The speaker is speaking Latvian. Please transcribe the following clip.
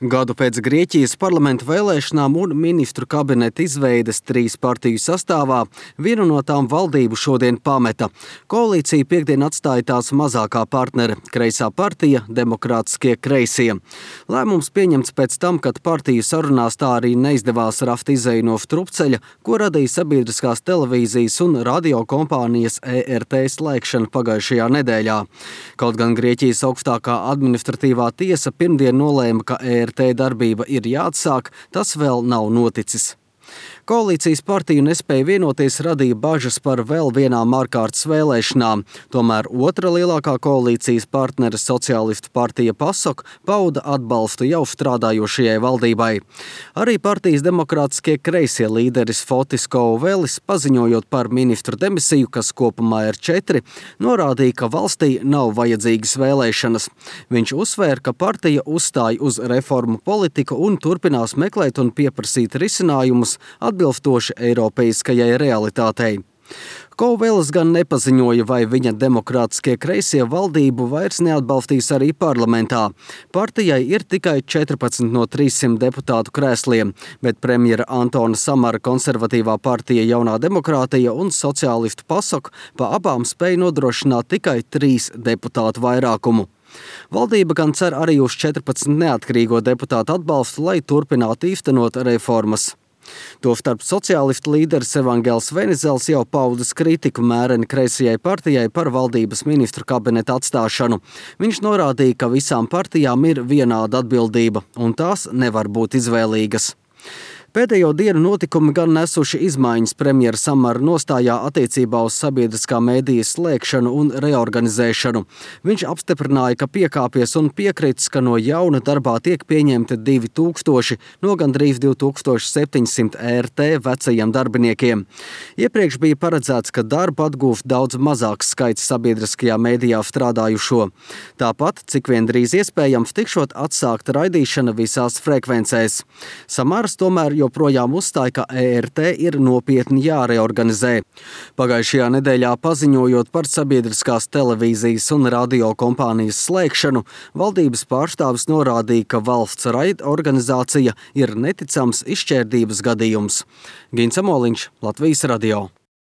Gadu pēc Grieķijas parlamenta vēlēšanām un ministru kabineta izveides 3 partiju sastāvā vienu no tām valdību šodien pameta. Koalīcija piekdien atstāja tās mazākā partnere – kreisā partija Demokrātiskie kreisie. Lēmums pieņemts pēc tam, kad partiju sarunās tā arī neizdevās rast izeju no strupceļa, ko radīja sabiedriskās televīzijas un radio kompānijas ERT slēgšana pagājušajā nedēļā. Kaut gan Grieķijas augstākā administratīvā tiesa pirmdien nolēma, ka ERT darbība ir jāatsāk, tas vēl nav noticis. Koalīcijas partiju nespēja vienoties radīja bažas par vēl vienām ārkārtas vēlēšanām. Tomēr otra lielākā koalīcijas partnere Sociālistu partija PASOK pauda atbalstu jau strādājošajai valdībai. Arī partijas Demokrātiskie kreisie līderis Fotis Kouvelis, paziņojot par ministru demisiju, kas kopumā ir 4, norādīja, ka valstī nav vajadzīgas vēlēšanas. Viņš uzsvēra, ka partija uzstāja uz reformu politiku un turpinās meklēt un pieprasīt risinājumus atbilstoši eiropeiskajai realitātei. Kouvelis gan nepaziņoja, vai viņa Demokrātiskie kreisie valdību vairs neatbalstīs arī parlamentā. Partijai ir tikai 14 no 300 deputātu krēsliem, bet premjera Antona Samara konservatīvā partija Jaunā demokrātija un sociālistu PASOK pa abām spēja nodrošināt tikai 3 deputātu vairākumu. Valdība gan cer arī uz 14 neatkarīgo deputātu atbalstu, lai turpinātu īstenot reformas. Tostarp sociālistu līderis Evangels Venizels jau paudis kritiku mēreni kreisajai partijai par valdības ministru kabineta atstāšanu. Viņš norādīja, ka visām partijām ir vienāda atbildība, un tās nevar būt izvēlīgas. Pēdējo dienu notikumi gan nesuši izmaiņas premjera Samara nostājā attiecībā uz sabiedriskā mēdīja slēgšanu un reorganizēšanu. Viņš apstiprināja, ka piekāpies un piekritis, ka no jauna darbā tiek pieņemti 2000 no gandrīz 2700 ERT vecajiem darbiniekiem. Iepriekš bija paredzēts, ka darbu atgūs daudz mazāks skaits sabiedriskajā mēdījā strādājušo. Tāpat, cik vien drīz iespējams, tikšot atsākta raidīšana visās frekvencēs. Samars tomēr joprojām uzstāja, ka ERT ir nopietni jāreorganizē. Pagājušajā nedēļā paziņojot par sabiedriskās televīzijas un radio kompānijas slēgšanu, valdības pārstāvis norādīja, ka valsts raidorganizācija ir neticams izšķērdības gadījums. Gins Amoliņš, Latvijas radio.